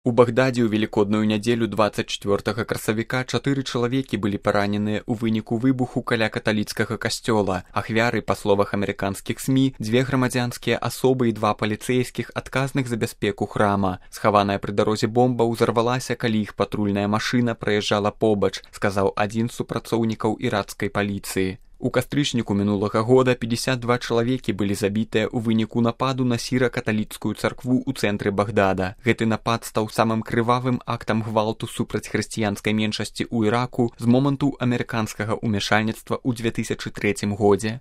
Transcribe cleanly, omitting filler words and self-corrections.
У Багдадзе ў велікодную нядзелю 24 красавіка 4 чалавекі былі параненыя ў выніку выбуху каля каталіцкага касцёла. Ахвяры, па словах амерыканскіх СМІ, 2 грамадзянскія асобы і 2 паліцэйскіх, адказных за бяспеку храма. Схаваная пры дарозе бомба ўзарвалася, калі іх патрульная машына праязджала побач, сказаў адзін з супрацоўнікаў іракскай паліцыі. У кастрычніку мінулага года 52 чалавекі былі забітыя ў выніку нападу на сіра-каталіцкую царкву ў цэнтры Багдада. Гэты напад стаў самым крывавым актам гвалту супраць хрысціянскай меншасці ў Іраку з моманту амерыканскага ўмяшальніцтва ў 2003 годзе.